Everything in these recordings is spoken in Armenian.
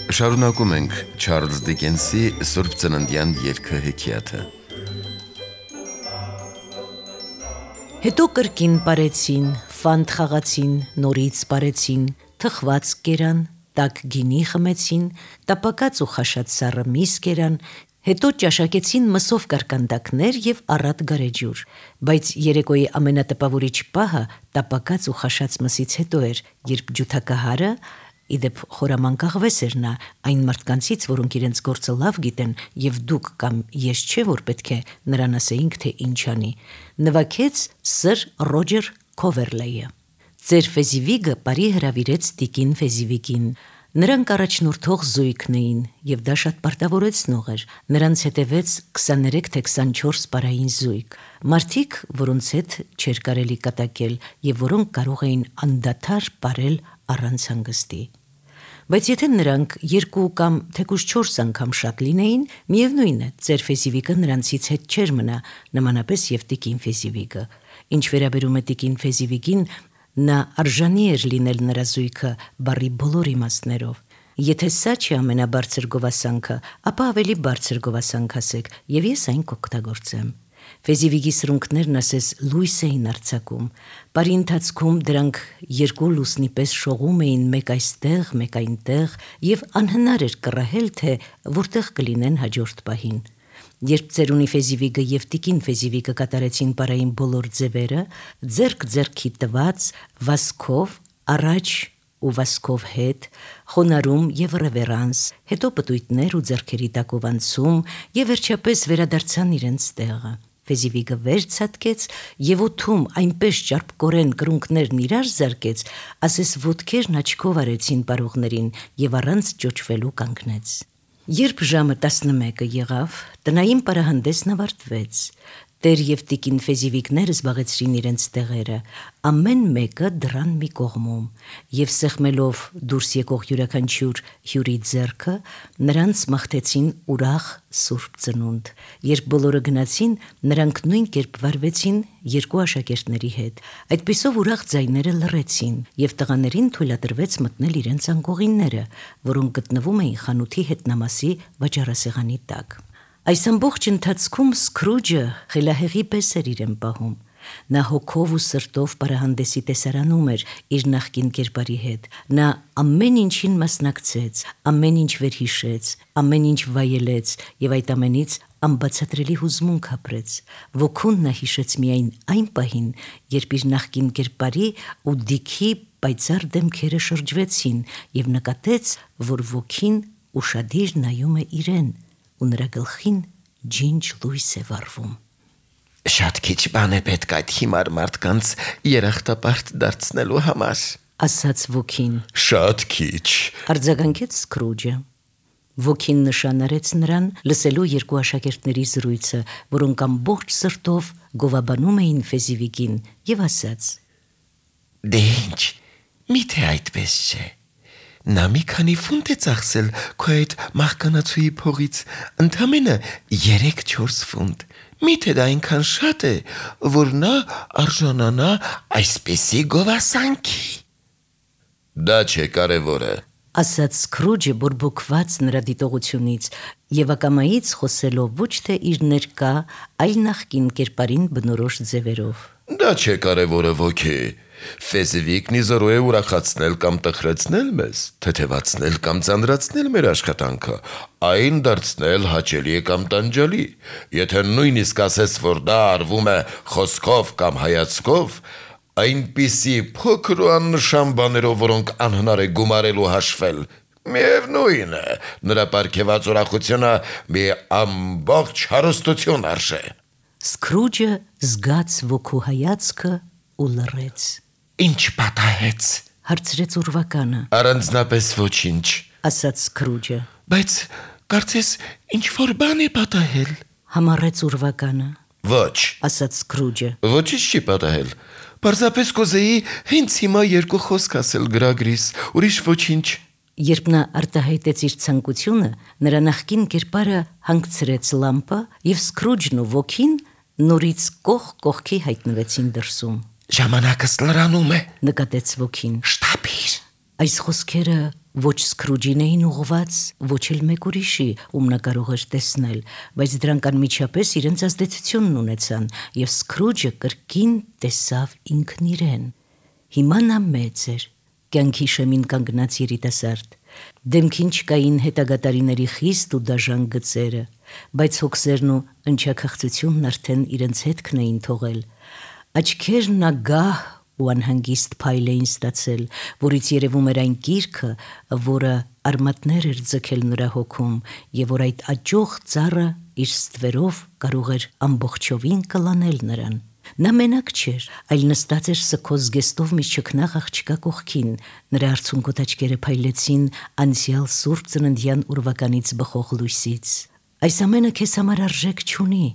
Շարունակում ենք Չարլզ Դիկենսի Սուրբ Ծննդյան երգը հեքիաթը։ Հետո կրկին պարեցին, ֆանտ խաղացին, նորից պարեցին, թխված կերան, տաք գինի խմեցին, տապակած ու խաշած սառը միս կերան, հետո ճաշակեցին մսով կարկանդակներ և առատ գարեջուր, բայց երեկոյի ամենատպավորիչ պահը տապակած ու խաշած մսից հետո էր, երբ ջութակահարը, իդեպ խորամանկաղվես էր նա այն մարդկանցից, որոնք իրենց գործը լավ գիտեն և դուք կամ ես չէ, որ պետք է նրան ասեինք, թե ինչ անի, նվագեց սր Ռոջեր Քովերլեյը։ Ձեր Ֆեզիվիգը բարի հրավիրեց տիկին Ֆեզիվիգին։ Նրանք առաջնորդող զույգն էին և դա շատ պարտավորեցնող էր, նրանց հետևեց 23 թե 24 պարային զույգ, մարդիկ, որոնց հետ չէր կարելի կատակել և որոնք կարող էին անդադար պարել առանց հանգստի։ Բայց եթե նրանք 2 կամ թեկուզ 4 անգամ շատ լինեին, միևնույն է, ձեր Ֆեզիվիգը նրանցից հետ չէր մնա, նմանապես և տիկին Ֆեզիվիգը։ Ինչ վերաբերում է տիկին Ֆեզիվիգին, նա արժանի էր լինել նրա զույգը բառի բոլոր իմաստներով։ Եթե սա չի ամենաբարձր գովասանքը, ապա ավելի բարձր գովասանք ասեք, և ես այն կօգտագործեմ։ Ֆեզիվիգի սրունքներն ասես լույս էին արձակում։ Բարի ընթացքում դրանք 2 լուսնի պես շողում էին մեկ այստեղ, մեկ այնտեղ, և անհնար էր կռահել, թե որտեղ կլինեն հաջորդ պահին։ Երբ ծերունի Ֆեզիվիգը և տիկին Ֆեզիվիգը կատարեցին պարային բոլոր ձևերը, ձեռք ձեռքի տված, վազքով առաջ ու վազքով հետ, խոնարհում և ռևերանս, հետո պտույտներ ու ձեռքերի տակով անցում և վերջապես վերադարձան իրենց տեղը։ Ֆեզիվիգը վեր ցատկեց և օդում այնպես ճարպկորեն կրունկներն իրար զարկեց, ասես ոտքերն աչքով արեցին պարողներին և առանց ճոճվելու կանգնեց։ Երբ ժամը 11 եղավ, տնային պարահանդեսն ավարտվեց։ Տեր և տիկին Ֆեզիվիգները զբաղեցրին իրենց տեղերը, ամեն մեկը դռան մի կողմում, և սեղմելով դուրս եկող յուրաքանչյուր հյուրի ձեռքը, նրանց մաղթեցին ուրախ Սուրբ Ծնունդ։ Երբ բոլորը գնացին, նրանք նույն կերպ վարվեցին 2 աշակերտների հետ։ Այդպիսով ուրախ ձայները լռեցին, և տղաներին թույլատրվեց մտնել իրենց անկողինները, որոնք գտնվում էին խանութի հետնամասի վաճառասեղանի տակ։ Այս ամբողջ ընթացքում Սքրուջը խելահեղի պես էր իրեն պահում։ Նա հոգով ու սրտով պարահանդեսի տեսարանում էր իր նախկին կերպարի հետ։ Նա ամեն ինչին մասնակցեց, ամեն ինչ վերհիշեց, ամեն ինչ վայելեց և այդ ամենից անբացատրելի հուզմունք ապրեց։ Ոգուն նա հիշեց միայն այն պահին, երբ իր նախկին կերպարի ու Դիքի պայծառ դեմքերը շրջվեցին և նկատեց, որ ոգին ուշադիր նայում է իրեն ու նրա գլխին ջինջ լույս է վառվում։ Շատ քիչ բան է պետք այդ հիմար մարդկանց երախտապարտ դարձնելու համար, ասաց ոգին։ Շատ քիչ, արձագանքեց Սքրուջը։ Ոգին նշան արեց նրան, լսելու 2 աշակերտների զրույցը, որոնք ամբողջ սրտով գովաբանում էին Ֆեզիվիգին, և ասաց. Դե ինչ, միթե այդպես չէ։ Նա մի քանի ֆունտ է ծախսել քո այդ մահկանացուի փողից, ընդամենը 3-4 ֆունտ։ Միթե դա այնքան շատ է, որ նա արժանանա այսպիսի գովասանքի։ Դա չէ կարևորը, ասաց Սքրուջը բորբոքված նրա դիտողությունից և ակամայից խոսելով ոչ թե իր ներկա, այլ նախկին կերպարին բնորոշ ձևերով։ Դա չէ կարևորը ոգի, Ֆեզիվիգն իզորու է ուրախացնել կամ տխրեցնել մեզ, թեթևացնել կամ ծանրացնել մեր աշխատանքը, այն դարձնել հաճելի կամ տանջալի։ Եթե նույնիսկ ասես, որ դա արվում է խոսքով կամ հայացքով, այնպիսի փոքր ու աննշան բաներով, որոնք անհնար է գումարելու հաշվել, միևնույն է, նրա պարգևած ուրախությունը մի ամբողջ հարստություն արժե։ Սքրուջը զգաց ոգու հայացքը ու լռեց։ Ինչ պատահեց, հարցրեց ուրվականը։ Առանձնապես ոչինչ, ասաց Սքրուջը։ Բայց կարծես ինչ-որ բան է պատահել, համառեց ուրվականը։ Ոչ, ասաց Սքրուջը։ ոչինչ չի պատահել։ Պարզապես կուզեի հենց հիմա 2 խոսք ասել գրագրիս, ուրիշ ոչինչ։ Երբ նա արտահայտեց իր ցանկությունը, նրա նախկին կերպարը հանգցրեց լամպը և Սքրուջն ու ոգին նորից կողք կողքի հայտնվեցին դրսում։ Ժամանակս լրանում է, նկատեց ոգին։ շտապիր։ Այս խոսքերը Ոչ Սքրուջին էին ուղված, ոչ էլ մեկ ուրիշի, ում նա կարող էր տեսնել, բայց դրանք անմիջապես իրենց ազդեցությունն ունեցան, եւ Սքրուջը կրկին տեսավ ինքն իրեն։ Հիմա նա մեծ էր, կյանքի շեմին կանգնած երիտասարդ։ Դեմքին չկային հետագա տարիների խիստ ու դաժան գծերը, բայց հոգսերն ու ընչաքաղցությունն արդեն իրենց հետքն էին թողել։ Աչքերն ագահ ու անհանգիստ փայլ էին ստացել, որից երևում էր այն կիրքը, որը արմատներ էր ձգել նրա հոգում, եւ որ այդ աճող ծառը իր ստվերով կարող էր ամբողջովին կլանել նրան։ Նա մենակ չէր, այլ նստած էր սքոս զգեստով մի չքնաղ աղջկա կողքին, նրա արցունքոտ աչքերը փայլեցին անցյալ սուրբ ծննդյան ուրվականից բխող լույսից։ Այս ամենը քեզ համար արժեք չունի,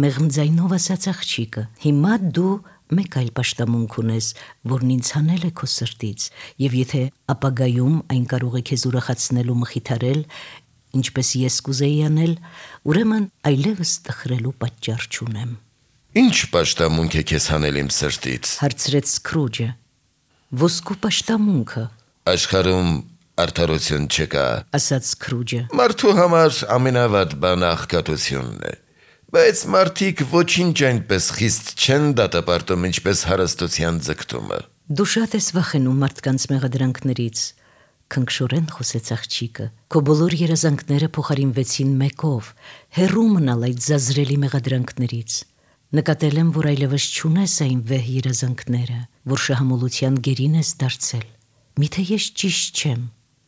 մեղմ ձայնով ասաց աղջիկը։ Հիմա դու մեկ այլ պաշտամունք ունես, որն ինձ հանել է քո սրտից, եւ եթե ապագայում այն կարող է քեզ ուրախացնել ու մխիթարել, ինչպես ես կուզեի անել, ուրեմն այլևս տխրելու պատճառ չունեմ։ Ինչ պաշտամունք է քեզ հանել իմ սրտից, Հարցրեց Սքրուջը։ Ոսկու պաշտամունքը, աշխարհում արդարություն չկա, ասաց Սքրուջը։ մարդու համար ամենավատ բանը աղքատությունն է, բայց մարդիկ ոչինչ այնպես խիստ չեն դատապարտում, ինչպես հարստության ձգտումը։ Դու շատ ես վախենում մարդկանց մեղադրանքներից, քնքշորեն խոսեց աղջիկը։ Քո բոլոր երազանքները փոխարինվեցին մեկով, հեռու մնալ այդ զազրելի մեղադրանքներից։ Նկատել եմ, որ այլևս չունես այն վեհ երազանքները, որ շահամոլության գերին ես դարձել։ Միթե ես ճիշտ չեմ,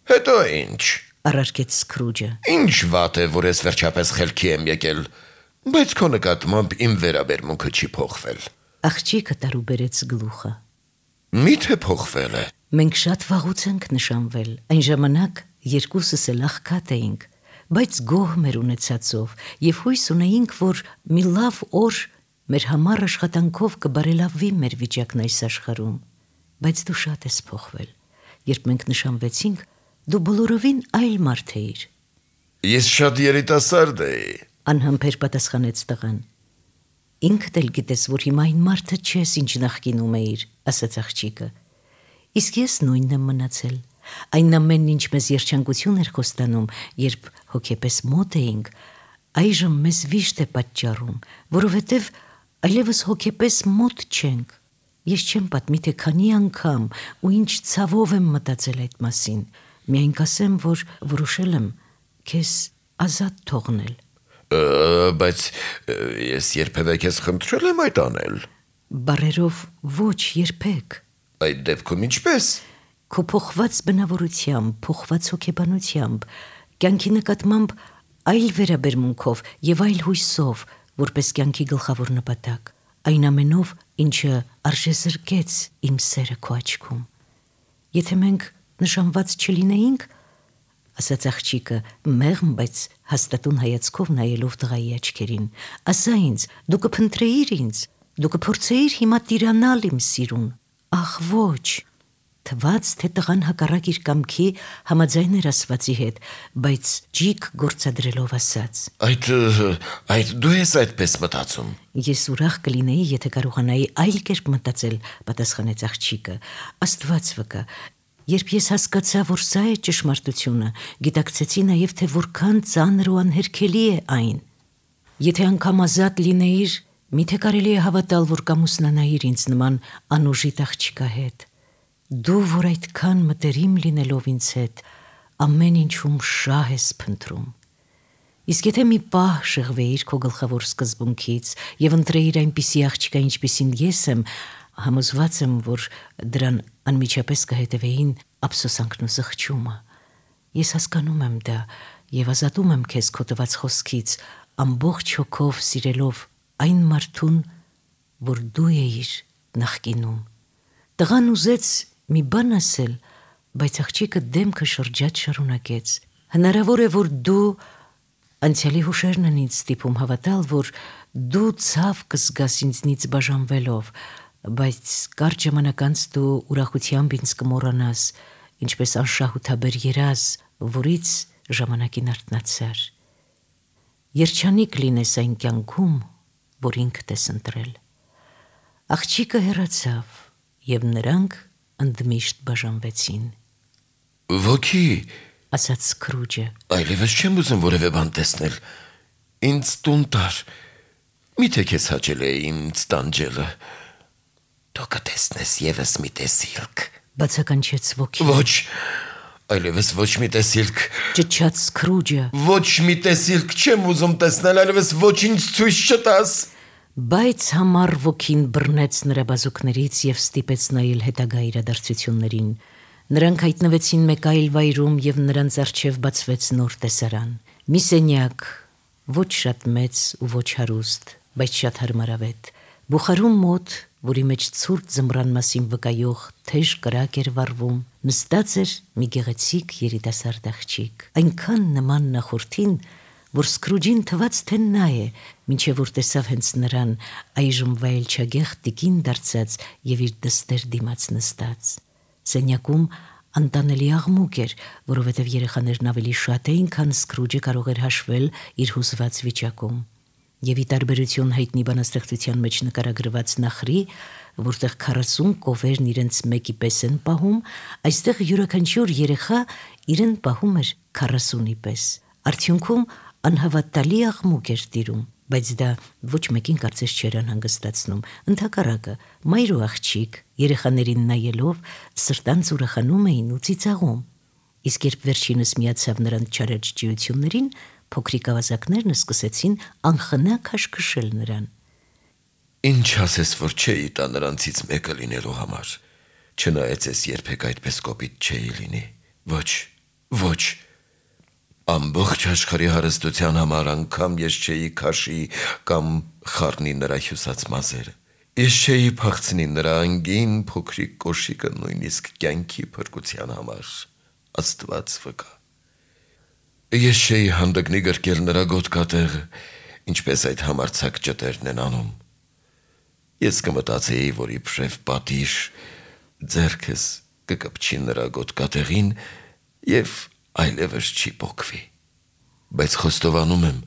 Հետո ինչ, առարկեց Սքրուջը։ ինչ վատ է, որ ես վերջապես խելքի եմ եկել, բայց քո նկատմամբ իմ վերաբերմունքը չի փոխվել։ Աղջիկը տարուբերեց գլուխը։ Միթե փոխվել է։ Մենք շատ վաղուց ենք նշանվել, այն ժամանակ երկուսս էլ աղքատ էինք, բայց գոհ մեր ունեցածով եւ հույս ունեինք, որ մի լավ օր մեր համար աշխատանքով կբարելավվի մեր վիճակն այս աշխարհում, բայց դու շատ ես փոխվել։ Երբ մենք նշանվեցինք, դու բոլորովին այլ մարդ էիր, Ես շատ երիտասարդ էի։ անհամբեր պատասխանեց տղան։ Ինքդ էլ գիտես, որ հիմա այն մարդը չես, ինչ նախկինում էիր, ասաց աղջիկը։ Իսկ ես նույնն եմ մնացել։ Այն ամենն, ինչ մեզ երջանկություն էր խոստանում, երբ հոգեպես մոտ էինք, այժմ մեզ վիշտ է պատճառում, որովհետև այլևս հոգեպես մոտ չենք։ Ես չեմ պատմի, թե քանի անգամ ու ինչ ցավով եմ մտածել այդ մասին։ Միայն կասեմ, որ որոշել եմ քեզ ազատ թողնել։ Բայց ես երբևէ քեզ խնդրել եմ այդ անել։ Բարերով ոչ երբեք։ Այդ դեպքում ինչպես։ Քո փոխված բնավորությամբ, փոխված հոգեբանությամբ, կյանքի նկատմամբ այլ վերաբերմունքով եւ այլ հույսով, որպես կյանքի գլխավոր նպատակ, այն ամենով, ինչը արժեզրկեց իմ սերը քո աչքում։ Եթե մենք նշանված չլինեինք, ասաց աղջիկը, մեղմ, բայց հաստատուն հայացքով նայելով տղայի աչքերին, ասա ինձ, դու կփնտրեիր ինձ, դու կփորձեիր հիմա տիրանալ իմ սիրուն։ Ախ ոչ, թվաց, թե տղան հակառակ իր կամքի համաձայն էր ասվածի հետ, բայց ջիկ գործադրելով ասաց. Այդ դու ես այդպես մտածում։ Ես ուրախ կլինեի, եթե կարողանայի այլ կերպ մտածել, պատասխանեց աղջիկը։ Աստված վկա, երբ ես հասկացա, որ սա է ճշմարտությունը, գիտակցեցի նաև, թե որքան ծանր ու անհերքելի է այն։ Եթե անգամ ազատ լինեիր, միթե կարելի է հավատալ, որ կամուսնանայիր ինձ նման անուժիտ աղջկա հետ։ Դու, որ այդքան մտերիմ լինելով ինձ հետ, ամեն ինչում շահ ես փնտրում։ Իսկ եթե մի պահ շեղվեիր քո գլխավոր սկզբունքից եւ ընտրեիր այնպիսի աղջկա, ինչպիսին ես եմ, համոզված եմ, որ դրան անմիջապես կհետևեին ափսոսանքն ու զղջումը։ Ես հասկանում եմ դա եւ ազատում եմ քեզ քո տված խոսքից, ամբողջ հոգով սիրելով այն մարդուն, որ դու էիր նախկինում։ Տղան ուզեց մի բան ասել, բայց աղջիկը դեմքը շրջած շարունակեց. Հնարավոր է, որ դու անցյալի հուշերն են ինձ ստիպում հավատալ, որ դու ցավ կզգաս ինձնից բաժանվելով, բայց կարճ ժամանակ անց դու ուրախությամբ ինձ կմոռանաս, ինչպես անշահութաբեր երազ, որից ժամանակին արթնացար։ Երջանիկ լինես այն կյանքում, որ ինքդ ես ընտրել։ Աղջիկը հեռացավ, եւ նրանք ընդմիշտ բաժանվեցին։ Ոգի, ասաց Սկրուջը։ այլևս չեմ ուզում որևէ բան տեսնել։ Ինձ տուն տար։ Միթե քեզ հաճել է ինձ տանջելը։ Դու կտեսնես եւս մի տեսիլք։ Բացականչեց ոգին։ Ոչ, այլևս ոչ մի տեսիլք։ Ճչաց Սկրուջը։ Ոչ մի տեսիլք չեմ ուզում տեսնել, այլևս ոչինչ ցույց չտաս։ Բայց համառ ոգին բռնեց նրա բազուկներից եւ ստիպեց նայել հետագա իրադարձություններին։ Նրանք հայտնվեցին մեկ այլ վայրում եւ նրանց առջեւ բացվեց նոր տեսարան։ Մի սենյակ, ոչ շատ մեծ ու ոչ հարուստ, բայց շատ հարմարավետ։ Բուխարում մոտ, որի մեջ ցուրտ ձմռան մասին վկայող թեժ կրակ էր վառվում, նստած էր մի գեղեցիկ երիտասարդ աղջիկ, այնքան նման նախորդին, որ Սկրուջին թվաց, թե նա է, մինչև որ տեսավ հենց նրան, այժմ վայելչագեղ տիկին դարձած եւ իր դստեր դիմաց նստած։ Սենյակում անտանելի աղմուկ էր, որովհետև երեխաներն ավելի շատ էին, քան Սկրուջը կարող էր հաշվել իր հուզված վիճակում։ Եվ ի տարբերություն հայտնի բանաստեղծության մեջ նկարագրված նախրի, որտեղ 40 կովերն իրենց մեկի պես են պահում, այստեղ յուրաքանչյուր երեխա իրեն պահում էր 40-ի պես։ Արդյունքում անհավատալի աղմուկ էր տիրում, բայց դա ոչ մեկին կարծես չէր անհանգստացնում։ Ընդհակառակը, մայր ու աղջիկ երեխաներին նայելով սրտանց ուրախանում էին ու ծիծաղում։ Իսկ երբ վերջինս միացավ նրանց չարաճճիություններին, փոքրիկ ավազակներն սկսեցին անխնա քաշքշել նրան։ Ինչ ասես, որ չէի տա նրանցից մեկը լինելու համար։ Չնայած ես երբեք այդպես կոպիտ չէի լինի։ Ոչ, ոչ։ Ամբողջ աշխարհի հարստության համար անգամ ես չէի քաշի կամ խառնի նրա հյուսած մազերը։ Ես չէի փախցնի նրա անգին փոքրիկ կոշիկը նույնիսկ կյանքի փրկության համար։ Աստված վկա։ Ես չէի հանդգնի գրկել նրա գոտկատեղը, ինչպես այդ համարձակ ճտերն են անում։ Ես կմտածեի, որ իբրև պատիժ ձեռքս կկպչի նրա գոտկատեղին եւ այլևս չի պոկվի։ Բայց խոստովանում եմ,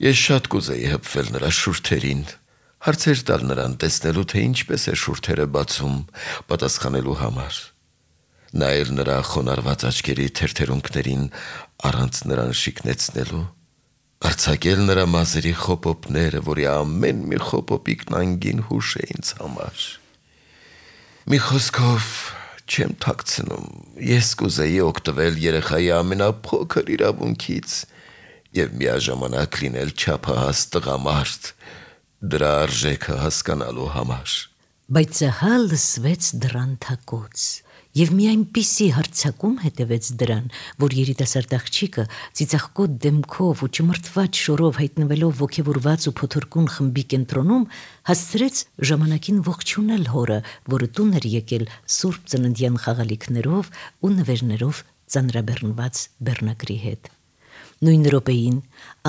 ես շատ կուզեի հպվել նրա շուրթերին, հարցեր տալ նրան տեսնելու, թե ինչպես է շուրթերը բացում, պատասխանելու համար։ Նայել նրա խոնարհված աչքերի թերթերունքներին առանց նրան շիկնեցնելու, արձակել նրա մազերի խոպոպները, որի ամեն մի խոպոպիկն անգին հուշ է ինձ համար։ Մի խոսքով չեմ թաքցնում, ես կուզեի օգտվել երեխայի ամենափոքր իրավունքից եւ միաժամանակ լինել չափահաս տղամարդ, դրա արժեքը հասկանալու համար։ Բայց ահա լսվեց դռան թակոց, եւ մի այնպիսի հարձակում հետևեց դրան, որ երիտասարդ աղջիկը ծիծաղկոտ դեմքով ու ճմրթված շորով հայտնվելով ոգևորված ու փոթորկուն խմբի կենտրոնում, հասցրեց ժամանակին ողջունել հորը, որը տուն էր եկել սուրբ ծննդյան խաղալիքներով ու նվերներով ծանրաբեռնված բեռնագրի հետ։ Նույն րոպեին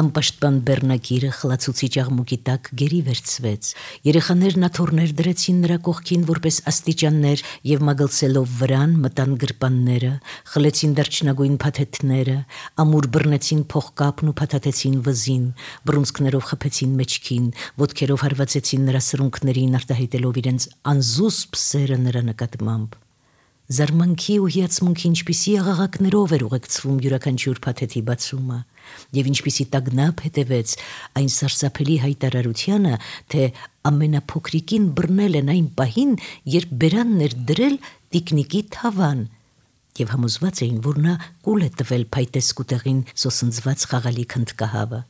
անպաշտպան բեռնագիրը խլացուցիչ աղմուկի տակ գերի վերցվեց։ Երեխաներն աթոռներ դրեցին նրա կողքին որպես աստիճաններ եւ մագլցելով վրան մտան գրպանները, խլեցին դարչնագույն փաթեթները, ամուր բռնեցին փողկապն ու փաթաթեցին վզին, բռունցքներով խփեցին մեջքին, ոտքերով հարվածեցին նրա սրունքներին, արտահայտելով իրենց անզուսպ սերը նրա նկատմամբ։ Զարմանքի ու հիացմունքի ինչպիսի աղաղակներով էր ուղեկցվում յուրաքանչյուր փաթեթի բացումը, եւ ինչպիսի տագնապ հետևեց այն սարսափելի հայտարարությանը, թե ամենափոքրիկին բռնել են այն պահին, երբ բերանն էր դրել տիկնիկի թավան, եւ համոզված էին, որ նա կուլ է տվել փայտեսկուտեղին սոսնձված խաղալիք հնդկահավը,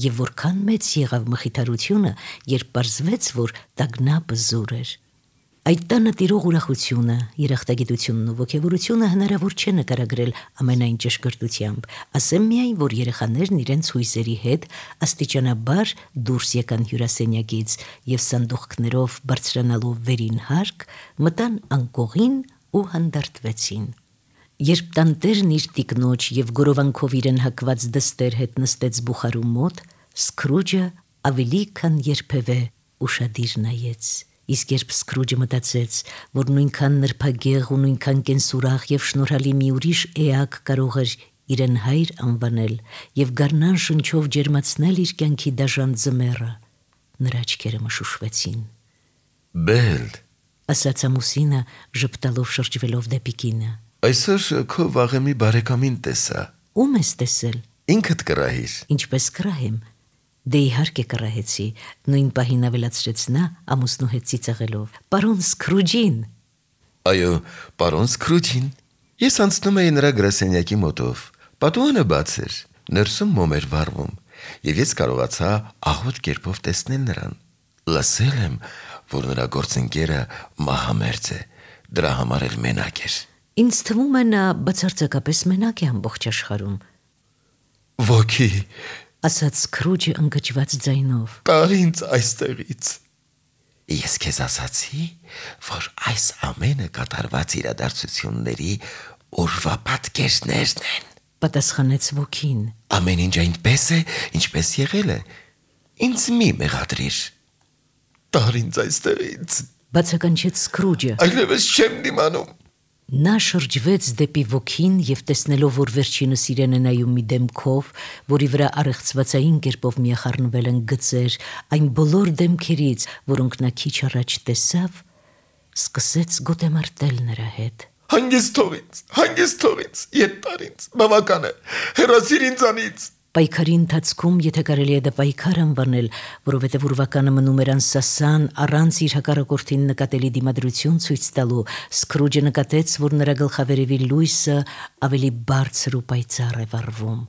եւ որքան մեծ եղավ մխիթարությունը, երբ պարզվեց, որ տագնապը զուր էր։ Այդ տանը տիրող ուրախությունը, երախտագիտությունն ու ոգևորությունը հնարավոր չէ նկարագրել ամենայն ճշգրտությամբ, ասեմ միայն, որ երեխաներն իրենց հույզերի հետ աստիճանաբար դուրս եկան հյուրասենյակից եւ սանդուղքներով բարձրանալով վերին հարկ, մտան անկողին ու հանդարտվեցին։ Երբ տանտերն իր տիկնոջ եւ գորովանքով իրեն հակված դստեր հետ նստեց բուխարու մոտ, Սկրուջը ավելի քան երբևէ ուշադիր նայեց։ Իսկ երբ Սկրուջը մտածեց, որ նույնքան նրբագեղ ու նույնքան կենսուրախ եւ շնորհալի մի ուրիշ էակ կարող էր իրեն հայր անվանել եւ գարնան շնչով ջերմացնել իր կյանքի դաժան ձմեռը, նրա աչքերը մշուշվեցին։ Բել, ասաց ամուսինը, ժպտալով շրջվելով դեպի կինը։ Այսօր քո վաղեմի բարեկամին տեսա։ Ում ես տեսել։ Ինքդ կռահիր։ Ինչպես կռահեմ։ Դե իհարկե կռահեցի, նույն պահին ավելացրեց նա ամուսնու հետ ծիծաղելով։ Պարոն Սկրուջին։ Այո, պարոն Սկրուջին։ Ես անցնում էի նրա գրասենյակի մոտով։ Պատուհանը բաց էր, ներսում մոմ էր վառվում, եւ ես կարողացա աղոտ կերպով տեսնել նրան։ Լսել եմ, որ նրա գործընկերը մահամերձ է, դրա համար էլ մենակ էր։ Ինձ թվում է նա բացարձակապես մենակ է ամբողջ աշխարհում, Ոգի, ասաց Սկրուջը ընկճված ձայնով։ տար ինձ այստեղից։ Ես քեզ ասացի, որ այս ամենը կատարված իրադարձությունների օրվա պատկերներն են։ Պատասխանեց ոգին։ Ամեն ինչ այնպես է, ինչպես եղել է։ Ինձ մի մեղադրիր։ Տար ինձ այստեղից։ Բացականչեց Սկրուջը։ Այլևս չեմ դիմանում։ Նա շրջվեց դեպի ոգին եւ տեսնելով, որ վերջինս իրեն է նայում մի դեմքով, որի վրա առեղծվածային կերպով միախառնվել են գծեր, այն բոլոր դեմքերից, որոնք նա քիչ առաջ տեսավ, սկսեց գոտեմարտել նրա հետ։ Հանգիստ թող ինձ, ետ տար ինձ, բավական է, հեռացիր ինձանից։ Պայքարի ընթացքում, եթե կարելի է դա պայքար անվանել, որովհետև ուրվականը մնում էր անսասան, առանց իր հակառակորդին նկատելի դիմադրություն ցույց տալու, Սկրուջը նկատեց, որ նրա գլխավերևի լույսը ավելի բարձր ու պայծառ է վառվում։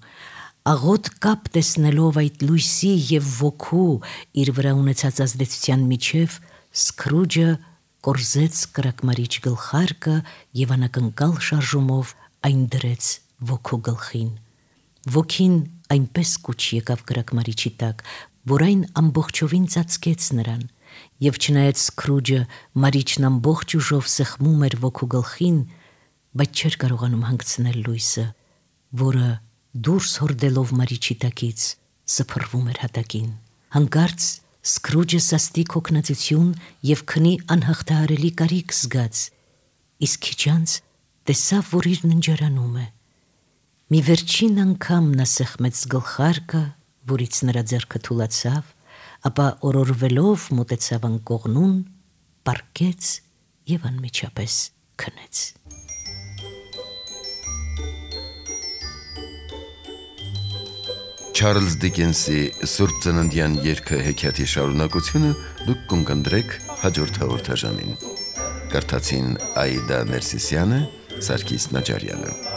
Աղոտ կապ տեսնելով այդ լույսի եւ ոգու իր վրա ունեցած ազդեցության միջև, Սկրուջը կորզեց կրակմարիչ գլխարկը եւ անակնկալ շարժումով այն դրեց ոգու գլխին։ Ոգին այնպես կուչ եկավ կրակմարիչի տակ, որ այն ամբողջովին ծածկեց նրան, եւ չնայած Սկրուջը մարիչն ամբողջ ուժով սեղմում էր ոգու գլխին, բայց չէր կարողանում հանգցնել լույսը, որը դուրս հորդելով մարիչի տակից սփռվում էր հատակին։ Հանկարծ Սկրուջը սաստիկ հոգնածություն եւ քնի անհաղթահարելի կարիք զգաց, իսկ քիչ անց տեսավ, որ իր ննջարանում է։ Մի վերջին անգամ նա սեղմեց գլխարկը, որից նրա ձեռքը թուլացավ, ապա օրորվելով մոտեցավ անկողնուն, պառկեց եւ անմիջապես քնեց։ Չարլզ Դիկենսի Սուրբ Ծննդյան երգը հեքիաթի շարունակությունը դուք կընկնդրեք հաջորդ հաղորդաժամին։ Կարդացին Աիդա Ներսիսյանը, Սարգիս Նաջարյանը։